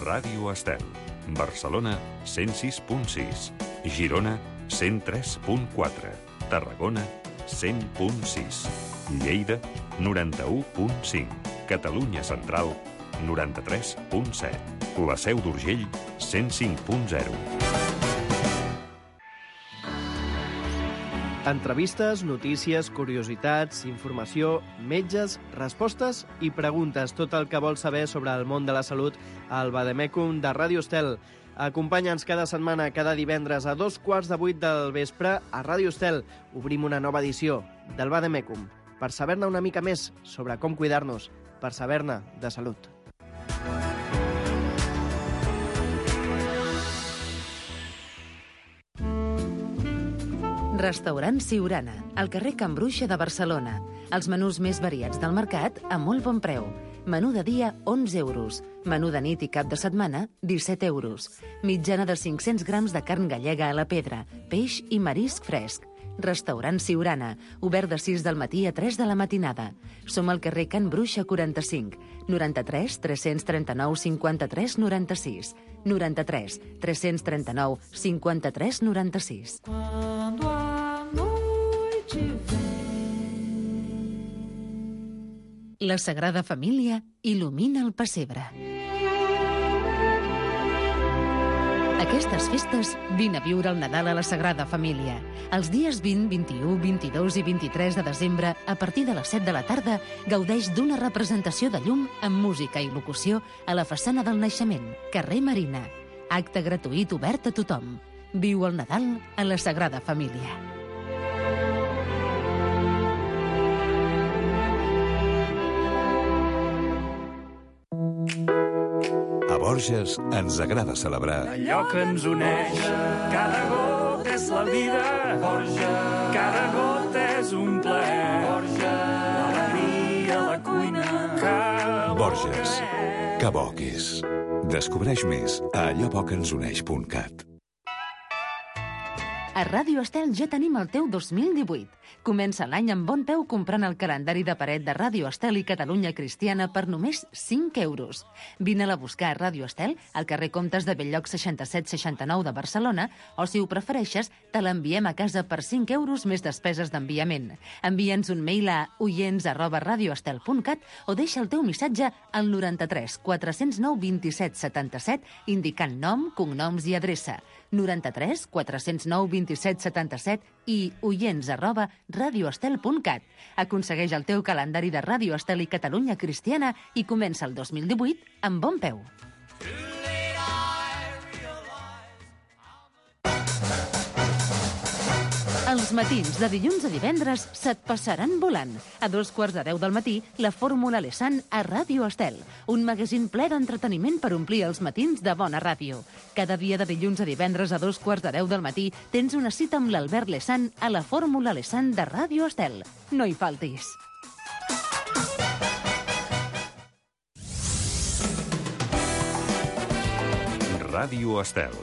Ràdio Estel. Barcelona, 106.6. Girona, 103.4. Tarragona, 100.6. Lleida, 91.5. Catalunya Central, 93.7. La Seu d'Urgell, 105.0. Entrevistes, notícies, curiositats, informació, metges, respostes i preguntes. Tot el que vols saber sobre el món de la salut al Vademecum de Ràdio Estel. Acompanya'ns cada setmana, cada divendres a 7:15 del vespre a Ràdio Estel. Obrim una nova edició del Vademecum per saber-ne una mica més sobre com cuidar-nos, per saber-ne de salut. Restaurant Siurana, al carrer Can Bruixa de Barcelona. Els menús més variats del mercat a molt bon preu. Menú de dia, 11 euros. Menú de nit i cap de setmana, 17 euros. Mitjana de 500 grams de carn gallega a la pedra, peix i marisc fresc. Restaurant Siurana, obert de 6 del matí a 3 de la matinada. Som al carrer Can Bruixa 45, 93 339 53 96, 93 339 53 96. La Sagrada Família il·lumina el pessebre. Aquestes festes, vine a viure el Nadal a la Sagrada Família. Els dies 20, 21, 22 i 23 de desembre, a partir de les 7 de la tarda, gaudeix d'una representació de llum amb música i locució a la façana del Naixement, carrer Marina. Acte gratuït obert a tothom. Viu el Nadal a la Sagrada Família. A Borges ens agrada celebrar allò que ens uneix. Cada gota és la vida. Borges. Cada gota és un plaer. Borges. L'alegria a la cuina. Borges. Que bo que és. Descobreix més a alloboqueNsUneix.cat. A Ràdio Estel ja tenim el teu 2018. Comença l'any amb bon peu comprant el calendari de paret de Ràdio Estel i Catalunya Cristiana per només 5 euros. Vine-la a buscar a Ràdio Estel, al carrer Comtes de Belllloc 67-69 de Barcelona, o si ho prefereixes, te l'enviem a casa per 5 euros més despeses d'enviament. Envia'ns un mail a oients@radioestel.cat o deixa el teu missatge al 93 409 27 77 indicant nom, cognoms i adreça. 93 409 27 77 i oients@radioestel.cat. Aconsegueix el teu calendari de Ràdio Estel i Catalunya Cristiana i comença el 2018 amb bon peu. Els matins de dilluns a divendres se't passaran volant. A 9:15 del matí, la Fórmula Lesan a Ràdio Estel. Un magazín ple d'entreteniment per omplir els matins de bona ràdio. Cada dia de dilluns a divendres a 9:15 del matí tens una cita amb l'Albert Lesan a la Fórmula Lesan de Ràdio Estel. No hi faltis. Ràdio Estel.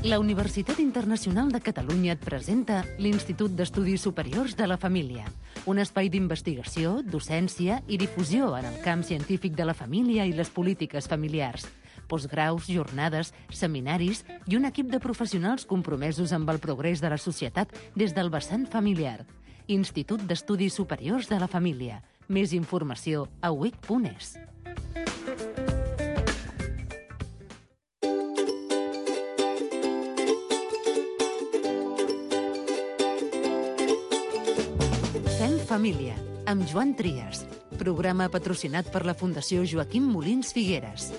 La Universitat Internacional de Catalunya et presenta l'Institut d'Estudis Superiors de la Família, un espai d'investigació, docència i difusió en el camp científic de la família i les polítiques familiars. Postgraus, jornades, seminaris i un equip de professionals compromesos amb el progrés de la societat des del vessant familiar. Institut d'Estudis Superiors de la Família. Més informació a uic.es. Família, amb Joan Trias. Programa patrocinat per la Fundació Joaquim Molins Figueres.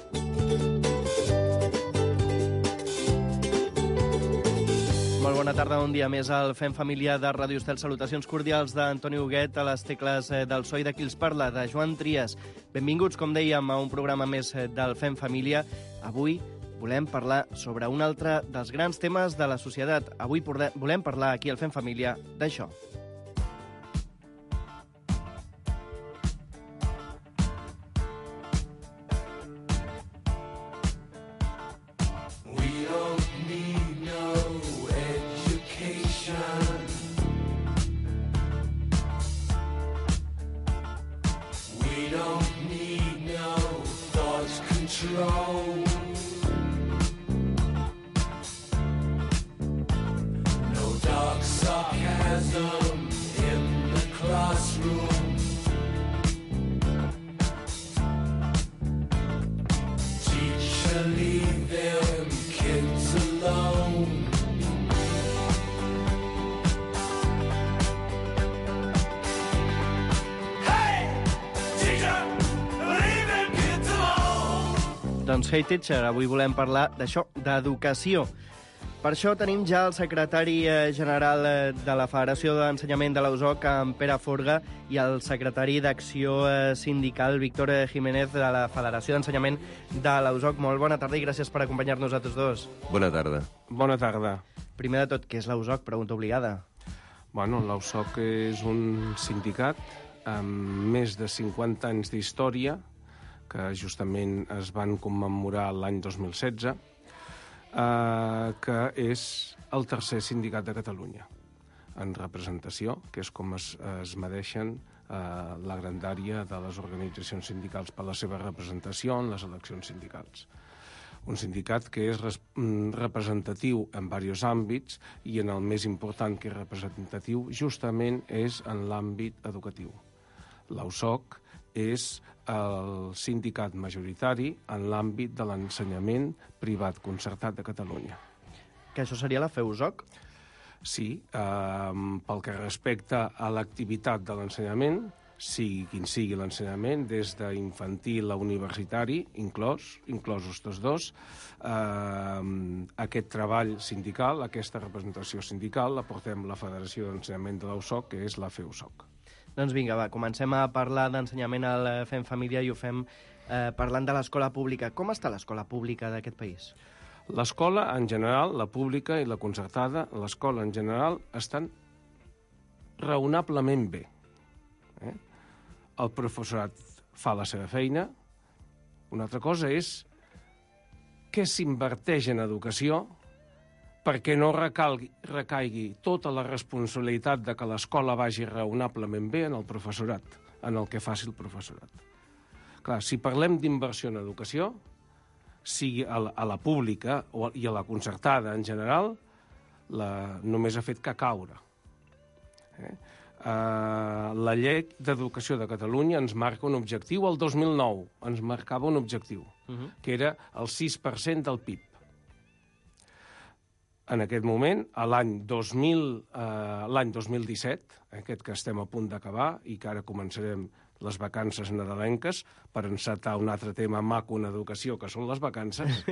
Molt bona tarda, un dia més al Fem Família de Ràdio Estel. Salutacions cordials d'Antoni Huguet a les tecles del so i de qui els parla, de Joan Trias. Benvinguts, com dèiem, a un programa més del Fem Família. Avui volem parlar sobre un altre dels grans temes de la societat. Avui volem parlar aquí al Fem Família d'això. racism in the classroom. Teacher, leave them kids alone. Doncs Hey Teacher, avui volem parlar d'això, d'educació. Per això tenim ja el secretari general de la Federació d'Ensenyament de la USOC, en Pere Forga, i el secretari d'Acció Sindical, Víctor Jiménez, de la Federació d'Ensenyament de la USOC. Molt bona tarda i gràcies per acompanyar-nos a tots dos. Bona tarda. Bona tarda. Primer de tot, què és la USOC? Pregunta obligada. Bueno, la USOC és un sindicat amb més de 50 anys d'història, que justament es van commemorar l'any 2016, que és el tercer sindicat de Catalunya en representació, que és com es medeixen la grandària de les organitzacions sindicals per la seva representació en les eleccions sindicals. Un sindicat que és representatiu en diversos àmbits i en el més important que és representatiu justament és en l'àmbit educatiu. La USOC és el sindicat majoritari en l'àmbit de l'ensenyament privat concertat de Catalunya. Que això seria la FEUSOC? Sí, pel que respecta a l'activitat de l'ensenyament, sigui quin sigui l'ensenyament, des d'infantil a universitari, inclosos tots dos, aquest treball sindical, aquesta representació sindical, la portem la Federació d'Ensenyament de la USOC, que és la FEUSOC. Doncs vinga, va, comencem a parlar d'ensenyament al Fem Família i ho fem parlant de l'escola pública. Com està l'escola pública d'aquest país? L'escola, en general, la pública i la concertada, l'escola en general, estan raonablement bé. El professorat fa la seva feina. Una altra cosa és què s'inverteix en educació perquè no recaigui tota la responsabilitat de que l'escola vagi raonablement bé en el professorat, en el que faci el professorat. Clar, si parlem d'inversió en educació, sigui a la pública i a la concertada en general, només ha fet que caure. La llei d'educació de Catalunya ens marca un objectiu, el 2009 ens marcava un objectiu, que era el 6% del PIB. En aquest moment, l'any 2017, aquest que estem a punt d'acabar i que ara començarem les vacances nadalenques per encetar un altre tema maco en educació, que són les vacances,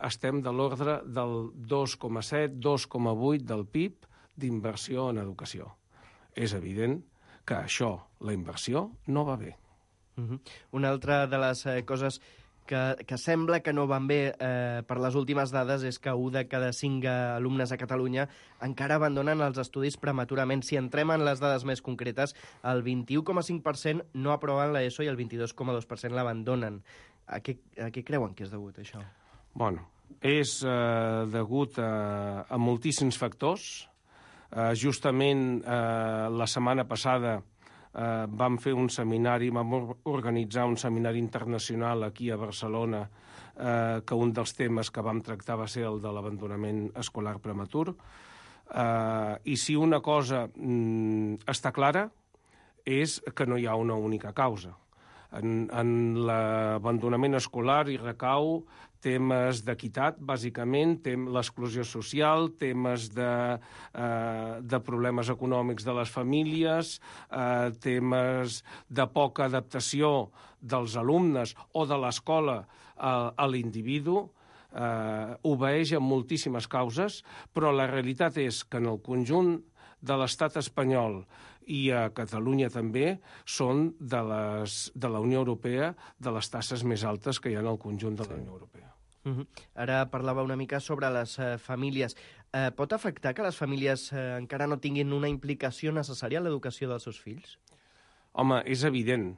estem de l'ordre del 2,7-2,8 del PIB d'inversió en educació. És evident que això, la inversió, no va bé. Una altra de les coses que sembla que no van bé per les últimes dades és que 1 de cada 5 alumnes a Catalunya encara abandonen els estudis prematurament. Si entrem en les dades més concretes, el 21,5% no aproven l'ESO i el 22,2% l'abandonen. A què creuen que és degut, això? Bueno, és degut a moltíssims factors. Justament la setmana passada vam fer un seminari, vam organitzar un seminari internacional aquí a Barcelona, que un dels temes que vam tractar va ser el de l'abandonament escolar prematur. I si una cosa està clara és que no hi ha una única causa. En l'abandonament escolar hi recau temes d'equitat, bàsicament, l'exclusió social, temes de problemes econòmics de les famílies, temes de poca adaptació dels alumnes o de l'escola a l'individu, obeeix a moltíssimes causes, però la realitat és que en el conjunt de l'estat espanyol i a Catalunya també són de la Unió Europea de les taxes més altes que hi ha en el conjunt de la Unió Europea. Ara parlava una mica sobre les famílies. Pot afectar que les famílies encara no tinguin una implicació necessària en l'educació dels seus fills? Home, és evident.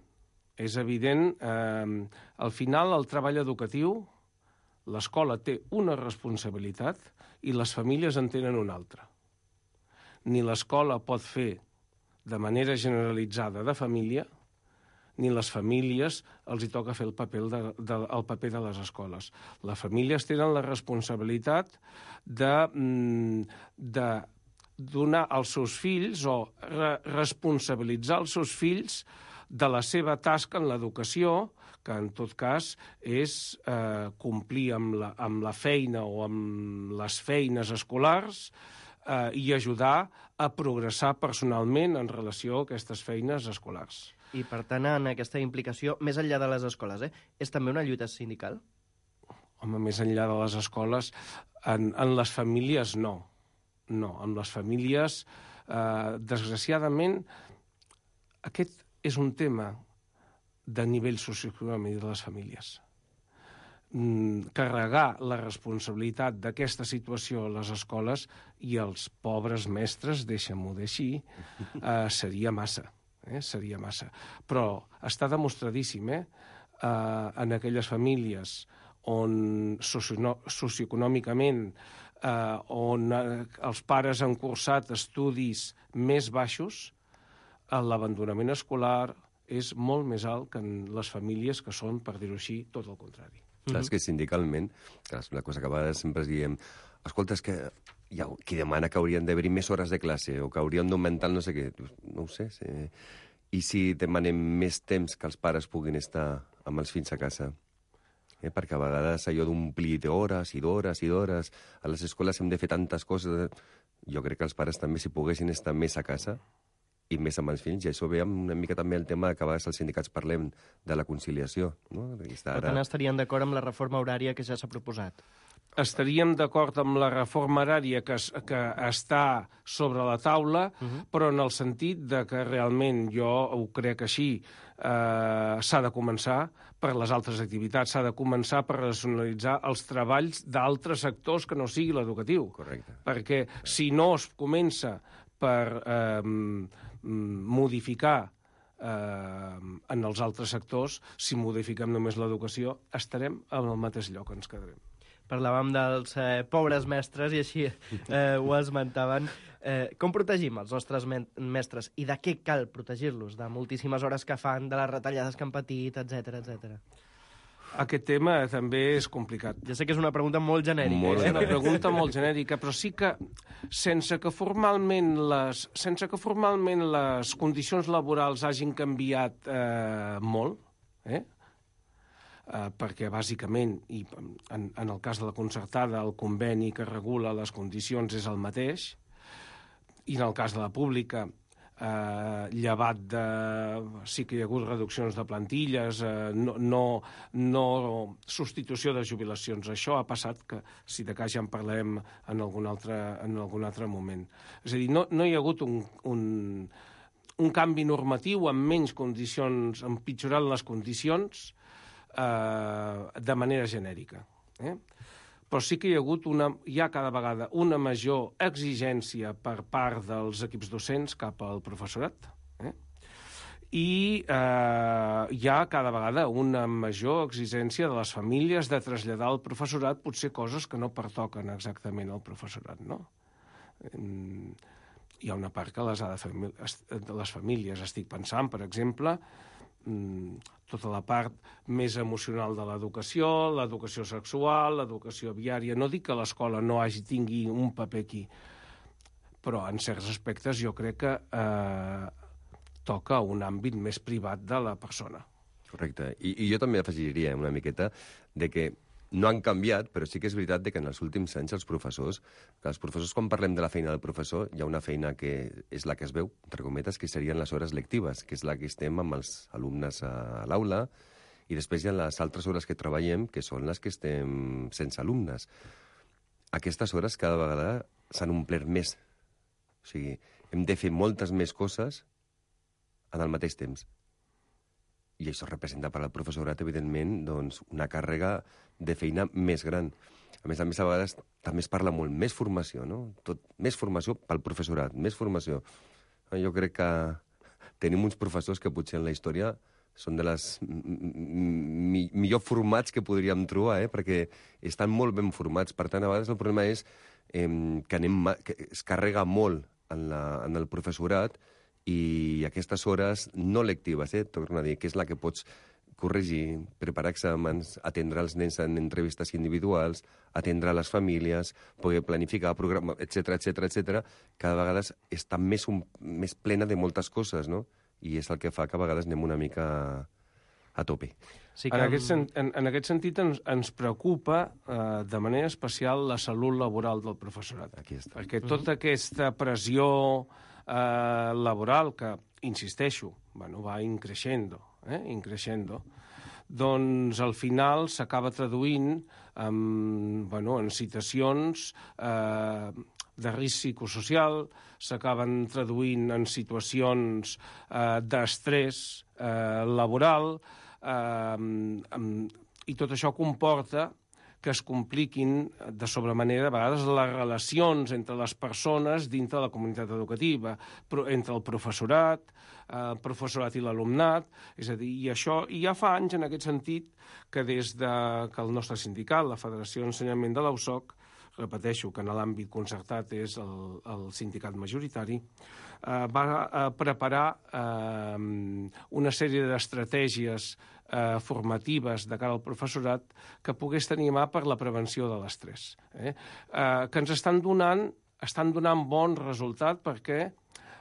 És evident. Al final, el treball educatiu, l'escola té una responsabilitat i les famílies en tenen una altra. Ni l'escola pot fer de manera generalitzada de família, ni les famílies els hi toca fer el paper de les escoles. Les famílies tenen la responsabilitat de donar als seus fills o responsabilitzar els seus fills de la seva tasca en l'educació, que en tot cas és complir amb la feina o amb les feines escolars i ajudar a progressar personalment en relació a aquestes feines escolars. I, per tant, en aquesta implicació, més enllà de les escoles, és també una lluita sindical? Home, més enllà de les escoles, en les famílies no. No, en les famílies, desgraciadament, aquest és un tema de nivell socioeconòmic de les famílies. Carregar la responsabilitat d'aquesta situació a les escoles i als pobres mestres, deixa'm-ho dir així, seria massa. Seria massa. Però està demostradíssim, en aquelles famílies on socioeconòmicament on els pares han cursat estudis més baixos, l'abandonament escolar és molt més alt que en les famílies que són, per dir-ho així, tot el contrari. Clar, és que sindicalment, la cosa que a vegades sempre diem, escolta, és que hi ha qui demana que haurien d'haver-hi més hores de classe o que haurien d'augmentar no sé què. No ho sé. I si demanem més temps que els pares puguin estar amb els fills a casa? Perquè a vegades allò d'omplir d'hores i d'hores i d'hores, a les escoles hem de fer tantes coses. Jo crec que els pares també, si poguessin estar més a casa i més amb els fills, i això ve una mica també el tema que a vegades els sindicats parlem de la conciliació. No? Per tant, estarien d'acord amb la reforma horària que ja s'ha proposat? Estaríem d'acord amb la reforma horària que està sobre la taula, però en el sentit de que realment jo ho crec així, s'ha de començar per les altres activitats, s'ha de començar per racionalitzar els treballs d'altres sectors que no sigui l'educatiu. Correcte. Perquè si no es comença per modificar en els altres sectors, si modifiquem només l'educació, estarem en el mateix lloc, ens quedarem. Parlàvem dels pobres mestres i així ho esmentaven. Com protegim els nostres mestres i de què cal protegir-los? De moltíssimes hores que fan, de les retallades que han patit, etc etc. Aquest tema també és complicat. Ja sé que és una pregunta molt genèrica. És una pregunta molt genèrica, però sí que sense que formalment les condicions laborals hagin canviat molt, perquè bàsicament, i en el cas de la concertada, el conveni que regula les condicions és el mateix, i en el cas de la pública, llevat de... sí que hi ha hagut reduccions de plantilles, no substitució de jubilacions. Això ha passat, que si de cas ja en parlem en algun altre moment. És a dir, no hi ha hagut un canvi normatiu amb menys condicions, empitjorant les condicions, de manera genèrica. Però sí que hi ha hagut cada vegada una major exigència per part dels equips docents cap al professorat. I hi ha cada vegada una major exigència de les famílies de traslladar al professorat potser coses que no pertoquen exactament al professorat, no? Hi ha una part que les ha de fer les famílies. Estic pensant, per exemple, tota la part més emocional de l'educació sexual, l'educació viària. No dic que l'escola no tingui un paper aquí, però en certs aspectes jo crec que toca un àmbit més privat de la persona. Correcte. I jo també afegiria una miqueta de que no han canviat, però sí que és veritat que en els últims anys els professors, quan parlem de la feina del professor, hi ha una feina que és la que es veu, entre cometes, que serien les hores lectives, que és la que estem amb els alumnes a l'aula, i després hi ha les altres hores que treballem, que són les que estem sense alumnes. Aquestes hores cada vegada s'han omplert més. O sigui, hem de fer moltes més coses en el mateix temps. I això representa per al professorat, evidentment, doncs, una càrrega de feina més gran. A més, a vegades també es parla molt més formació, no? Més formació pel professorat, més formació. Jo crec que tenim uns professors que potser en la història són de les millor formats que podríem trobar, perquè estan molt ben formats. Per tant, a vegades el problema és que es carrega molt en el professorat, i aquestes hores no lectives, torno a dir, que és la que pots corregir, preparar exàmens, atendre els nens en entrevistes individuals, atendre les famílies, poder planificar el programa, etc. Cada vegada està més plena de moltes coses, no? I és el que fa que a vegades anem una mica a tope. Sí En aquest sentit ens preocupa de manera especial la salut laboral del professorat. Aquí està. Perquè tota aquesta pressió laboral que, insisteixo, va increixendo, doncs al final s'acaba traduint en situacions de risc psicosocial, s'acaben traduint en situacions d'estrès laboral, i tot això comporta que es compliquin de sobremanera a vegades les relacions entre les persones dintre de la comunitat educativa, entre el professorat i l'alumnat, és a dir, i això i ja fa anys en aquest sentit que des que el nostre sindicat, la Federació d'Ensenyament de l'USOC, repeteixo que en l'àmbit concertat és el sindicat majoritari, va preparar una sèrie d'estratègies formatives de cara al professorat que pogués tenir mà per la prevenció de l'estrès, que ens estan donant bon resultat perquè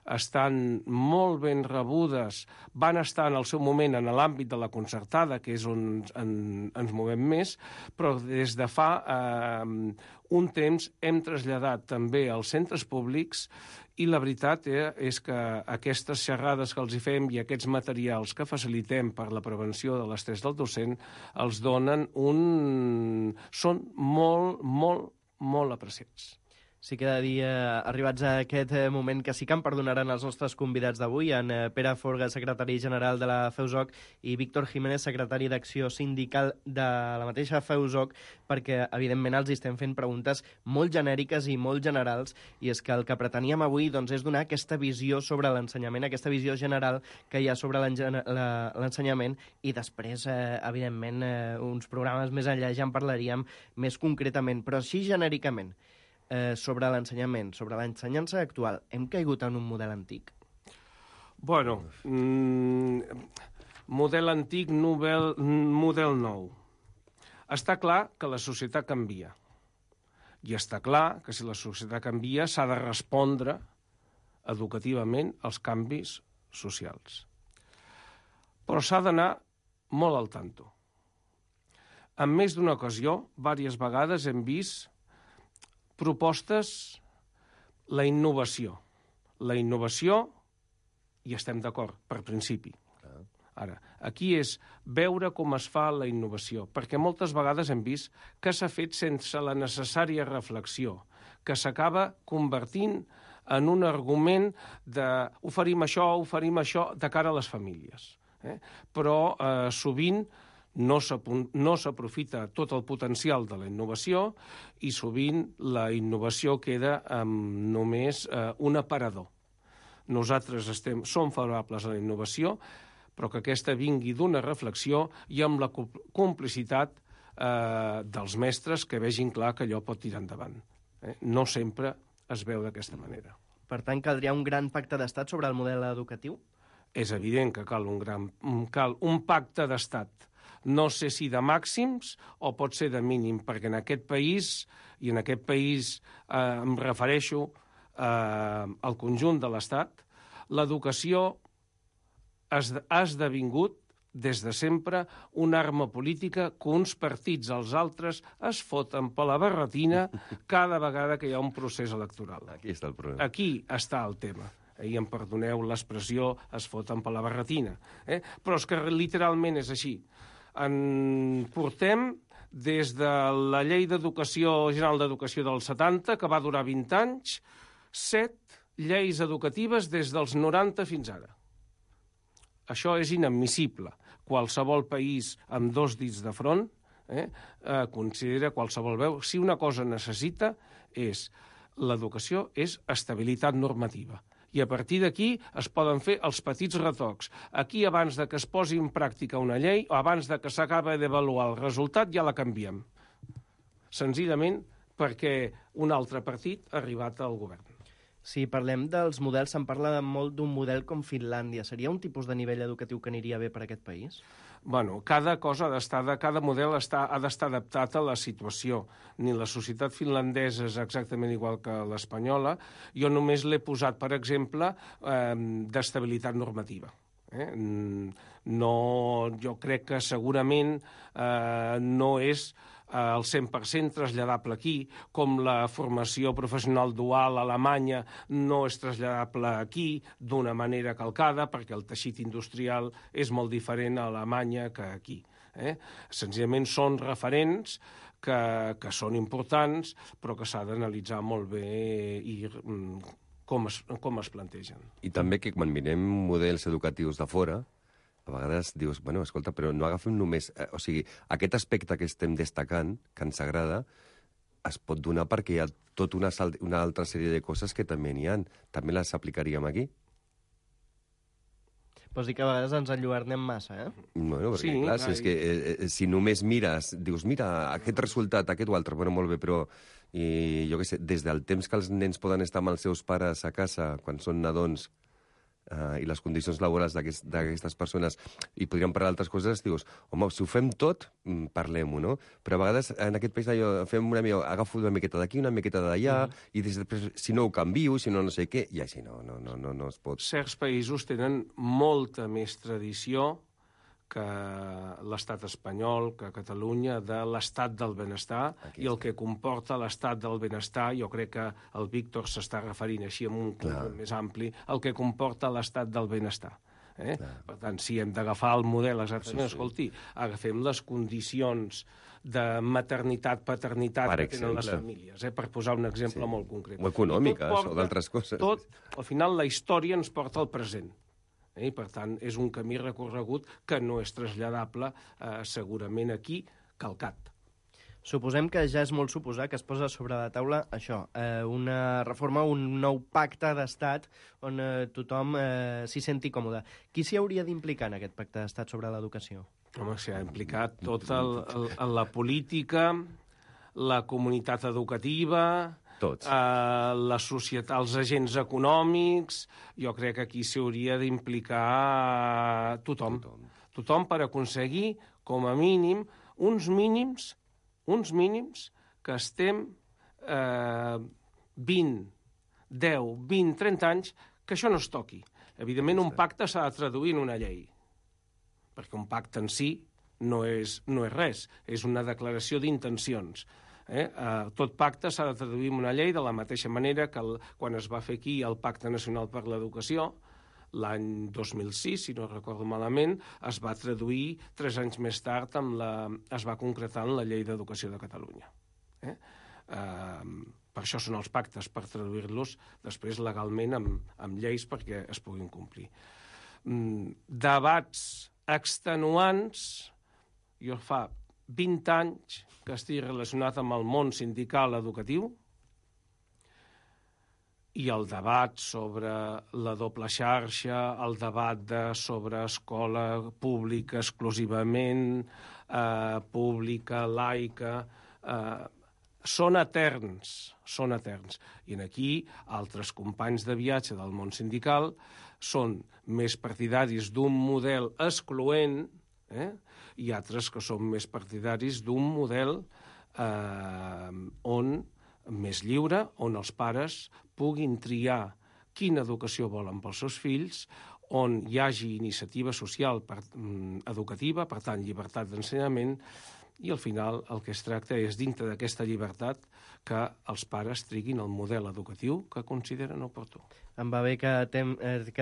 estan molt ben rebudes, van estar en el seu moment en l'àmbit de la concertada, que és on ens movem més, però des de fa un temps hem traslladat també als centres públics i la veritat és que aquestes xerrades que els hi fem i aquests materials que facilitem per la prevenció de l'estrès del docent els donen són molt, molt, molt apreciats. Sí que he de dir, arribats a aquest moment, que sí que em perdonaran els nostres convidats d'avui, en Pere Forga, secretari general de la FEUSOC, i Víctor Jiménez, secretari d'Acció Sindical de la mateixa FEUSOC, perquè, evidentment, els estem fent preguntes molt genèriques i molt generals, i és que el que preteníem avui doncs, és donar aquesta visió sobre l'ensenyament, aquesta visió general que hi ha sobre l'ensenyament, i després, evidentment, uns programes més enllà ja en parlaríem més concretament, però així genèricament. Sobre l'ensenyament, sobre l'ensenyança actual, hem caigut en un model antic? Bueno, model antic, model nou. Està clar que la societat canvia. I està clar que si la societat canvia s'ha de respondre educativament als canvis socials. Però s'ha d'anar molt al tanto. En més d'una ocasió, diverses vegades hem vist propostes, la innovació. La innovació, i estem d'acord, per principi. Ara, aquí és veure com es fa la innovació, perquè moltes vegades hem vist que s'ha fet sense la necessària reflexió, que s'acaba convertint en un argument de oferim això de cara a les famílies. Però sovint no s'aprofita tot el potencial de la innovació i sovint la innovació queda amb només un aparador. Nosaltres som favorables a la innovació, però que aquesta vingui d'una reflexió i amb la complicitat dels mestres que vegin clar que allò pot tirar endavant. No sempre es veu d'aquesta manera. Per tant, caldria un gran pacte d'estat sobre el model educatiu? És evident que cal un pacte d'estat. No sé si de màxims o pot ser de mínim, perquè en aquest país, em refereixo al conjunt de l'Estat, l'educació ha esdevingut des de sempre una arma política que uns partits als altres es foten per la barretina cada vegada que hi ha un procés electoral. Aquí està el problema. Aquí està el tema. I em perdoneu l'expressió, es foten per la barretina. Però és que literalment és així. Portem des de la Llei General d'Educació del 70, que va durar 20 anys, 7 lleis educatives des dels 90 fins ara. Això és inadmissible. Qualsevol país amb 2 dits de front considera qualsevol veu. Si una cosa necessita l'educació és estabilitat normativa. I a partir d'aquí es poden fer els petits retocs. Aquí, abans de que es posi en pràctica una llei, o abans de que s'acabi d'avaluar el resultat, ja la canviem. Senzillament perquè un altre partit ha arribat al govern. Si parlem dels models, se'n parla molt d'un model com Finlàndia. Seria un tipus de nivell educatiu que aniria bé per a aquest país? Bueno, cada model ha d'estar adaptat a la situació. Ni la societat finlandesa és exactament igual que l'espanyola. Jo només l'he posat, per exemple, d'estabilitat normativa. No, jo crec que segurament no és al 100% traslladable aquí, com la formació professional dual a Alemanya no és traslladable aquí d'una manera calcada, perquè el teixit industrial és molt diferent a Alemanya que aquí. Senzillament són referents que són importants, però que s'ha d'analitzar molt bé i com es plantegen. I també que quan mirem models educatius de fora, a vegades dius, bueno, escolta, però no agafem només... O sigui, aquest aspecte que estem destacant, que ens agrada, es pot donar perquè hi ha tota una altra sèrie de coses que també n'hi ha. També les aplicaríem aquí? Vols dir que a vegades ens enlluernem massa, Bueno, perquè, Sí, clar, és que si només mires, dius, mira, aquest resultat, aquest o altre, bueno, molt bé, però jo què sé, des del temps que els nens poden estar amb els seus pares a casa, quan són nadons, i les condicions laborals d'aquestes persones, i podríem parlar d'altres coses, dius, home, si ho fem tot, parlem-ho, no? Però a vegades en aquest país fem agafo una miqueta d'aquí, una miqueta d'allà, i després, si no ho canvio, si no no sé què, i així no es pot. Certs països tenen molta més tradició que l'estat espanyol, que Catalunya, de l'estat del benestar, i el que comporta l'estat del benestar, jo crec que el Víctor s'està referint així amb un conjunt més ampli, el que comporta l'estat del benestar. Per tant, si hem d'agafar el model exactament, escolti, agafem les condicions de maternitat, paternitat que tenen les famílies, per posar un exemple molt concret. O econòmiques, o d'altres coses. Al final, la història ens porta al present. I, per tant, és un camí recorregut que no és traslladable segurament aquí, calcat. Suposem que ja és molt suposar que es posa sobre la taula això, una reforma, un nou pacte d'estat on tothom s'hi senti còmode. Qui s'hi hauria d'implicar en aquest pacte d'estat sobre l'educació? Home, s'hi ha implicat tota la política, la comunitat educativa... Tots. La societat, els agents econòmics, jo crec que aquí s'hi hauria d'implicar tothom. Tothom per aconseguir, com a mínim, uns mínims que estem 20, 10, 20, 30 anys, que això no es toqui. Evidentment, un pacte s'ha de traduir en una llei, perquè un pacte en si no és res, és una declaració d'intencions. Tot pacte s'ha de traduir en una llei de la mateixa manera que quan es va fer aquí el Pacte Nacional per l'Educació, l'any 2006, si no recordo malament, es va traduir 3 anys més tard, es va concretar en la Llei d'Educació de Catalunya. Per això són els pactes, per traduir-los després legalment amb lleis perquè es puguin complir. Debats extenuants, jo fa 20 anys que estic relacionat amb el món sindical educatiu, i el debat sobre la doble xarxa, el debat sobre escola pública exclusivament, pública, laica, són eterns. I aquí altres companys de viatge del món sindical són més partidaris d'un model excloent, i altres que són més partidaris d'un model més lliure, on els pares puguin triar quina educació volen pels seus fills, on hi hagi iniciativa social educativa, per tant, llibertat d'ensenyament, i al final el que es tracta és, dintre d'aquesta llibertat, que els pares triguin el model educatiu que consideren oportú. Em va bé que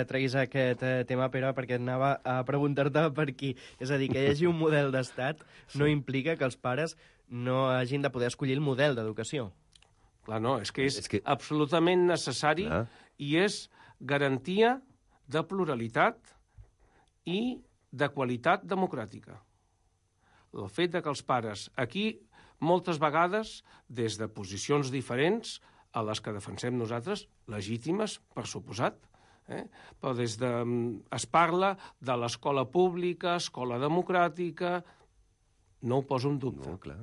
treguis aquest tema, Pere, perquè anava a preguntar-te per aquí. És a dir, que hi hagi un model d'estat no implica que els pares no hagin de poder escollir el model d'educació. Clar, no, és que és absolutament necessari i és garantia de pluralitat i de qualitat democràtica. El fet que els pares aquí, moltes vegades, des de posicions diferents a les que defensem nosaltres, legítimes, per suposat, però es parla de l'escola pública, escola democràtica, no ho poso en dubte. No, clar.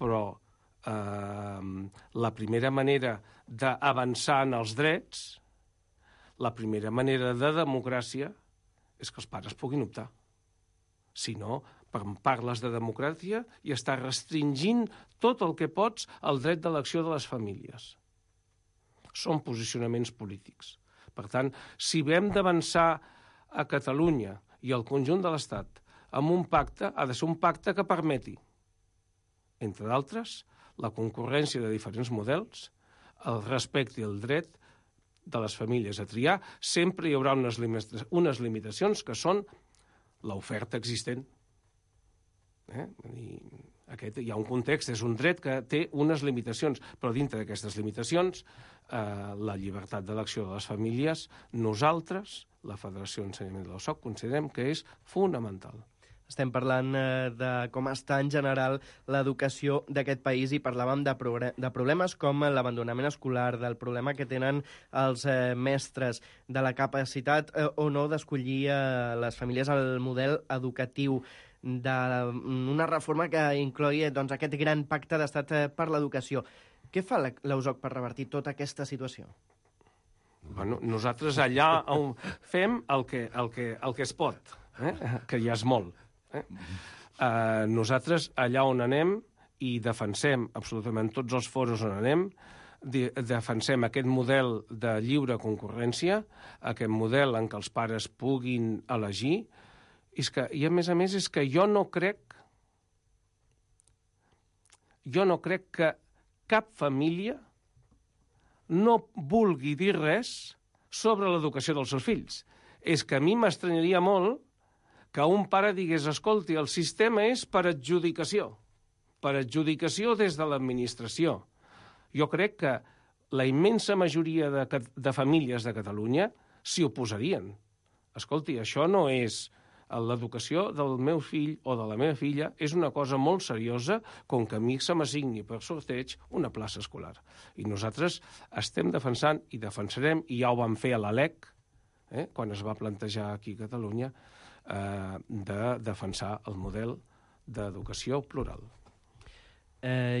Però la primera manera d'avançar en els drets, la primera manera de democràcia és que els pares puguin optar. Si no, parles de democràcia i estàs restringint tot el que pots el dret d'elecció de les famílies. Són posicionaments polítics. Per tant, si hem d'avançar a Catalunya i al conjunt de l'Estat amb un pacte, ha de ser un pacte que permeti, entre d'altres, la concurrència de diferents models, el respecte i el dret de les famílies a triar. Sempre hi haurà unes limitacions que són l'oferta existent. Hi ha un context, és un dret que té unes limitacions, però dintre d'aquestes limitacions, la llibertat d'elecció de les famílies, nosaltres, la Federació d'Ensenyament de l'OSOC, considerem que és fonamental. Estem parlant de com està en general l'educació d'aquest país i parlàvem de problemes com l'abandonament escolar, del problema que tenen els mestres, de la capacitat o no d'escollir les famílies el model educatiu, d'una reforma que inclogui aquest gran pacte d'estat per l'educació. Què fa l'USOC per revertir tota aquesta situació? Bueno, nosaltres allà fem el que es pot, que ja és molt. Nosaltres allà on anem i defensem absolutament tots els foros on anem, defensem aquest model de lliure concurrència, aquest model en què els pares puguin elegir, i a més és que jo no crec que cap família no vulgui dir res sobre l'educació dels seus fills. És que a mi m'estranyaria molt que un pare digués, escolti, el sistema és per adjudicació des de l'administració. Jo crec que la immensa majoria de famílies de Catalunya s'hi oposarien. Escolti, això no és l'educació del meu fill o de la meva filla, és una cosa molt seriosa com que a mi se m'assigni per sorteig una plaça escolar. I nosaltres estem defensant i defensarem, i ja ho vam fer a l'ALEC, quan es va plantejar aquí a Catalunya, de defensar el model d'educació plural.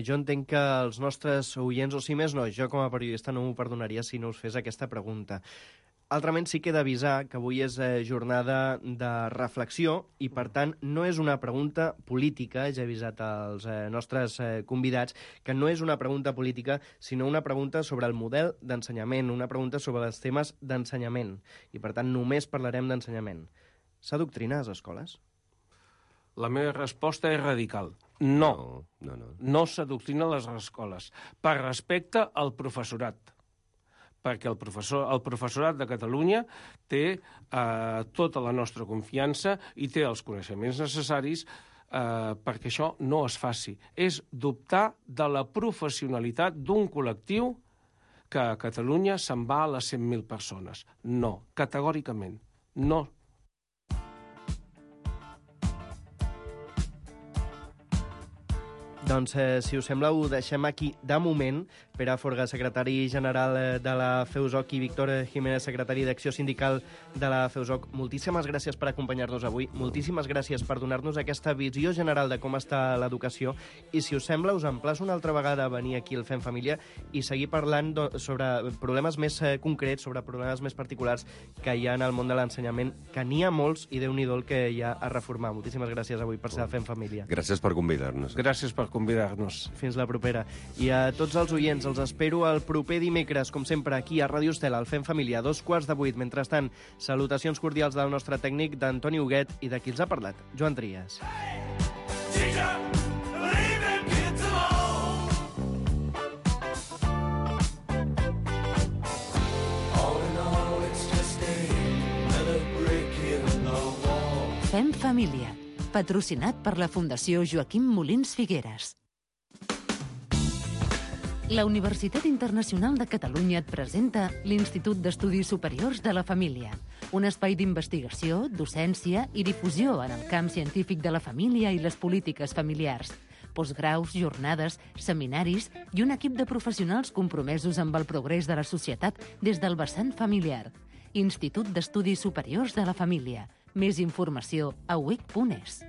Jo entenc que els nostres oients, o si més no, jo com a periodista no m'ho perdonaria si no us fes aquesta pregunta. Altrament sí que he d'avisar que avui és jornada de reflexió i, per tant, no és una pregunta política, ja he avisat als nostres convidats, que no és una pregunta política, sinó una pregunta sobre el model d'ensenyament, una pregunta sobre els temes d'ensenyament. I, per tant, només parlarem d'ensenyament. S'adoctrina a les escoles? La meva resposta és radical. No. No s'adoctrina a les escoles. Per respecte al professorat. Perquè el professorat de Catalunya té tota la nostra confiança i té els coneixements necessaris perquè això no es faci. És dubtar de la professionalitat d'un col·lectiu que a Catalunya se'n va a les 100.000 persones. No, categòricament, no. Doncs, si us sembla, ho deixem aquí de moment. Pere Forga, secretari general de la FEUSOC, i Víctor Jiménez, secretari d'Acció Sindical de la FEUSOC, moltíssimes gràcies per acompanyar-nos avui, moltíssimes gràcies per donar-nos aquesta visió general de com està l'educació, i si us sembla, us emplaço una altra vegada a venir aquí al Fem Família i seguir parlant sobre problemes més concrets, sobre problemes més particulars que hi ha en el món de l'ensenyament, que n'hi ha molts i Déu-n'hi-do el que hi ha a reformar. Moltíssimes gràcies avui per ser al Fem Família. Gràcies per convidar-nos. Gràcies per convidar-nos. Fins la propera. I a tots els oients, els espero el proper dimecres, com sempre, aquí a Ràdio Estel, al Fem Família, 7:45. Mentrestant, salutacions cordials del nostre tècnic, d'Antoni Huguet, i de qui els ha parlat, Joan Trias. Fem Família, patrocinat per la Fundació Joaquim Molins Figueres. La Universitat Internacional de Catalunya et presenta l'Institut d'Estudis Superiors de la Família, un espai d'investigació, docència i difusió en el camp científic de la família i les polítiques familiars. Postgraus, jornades, seminaris i un equip de professionals compromesos amb el progrés de la societat des del vessant familiar. Institut d'Estudis Superiors de la Família. Més informació a uic.es.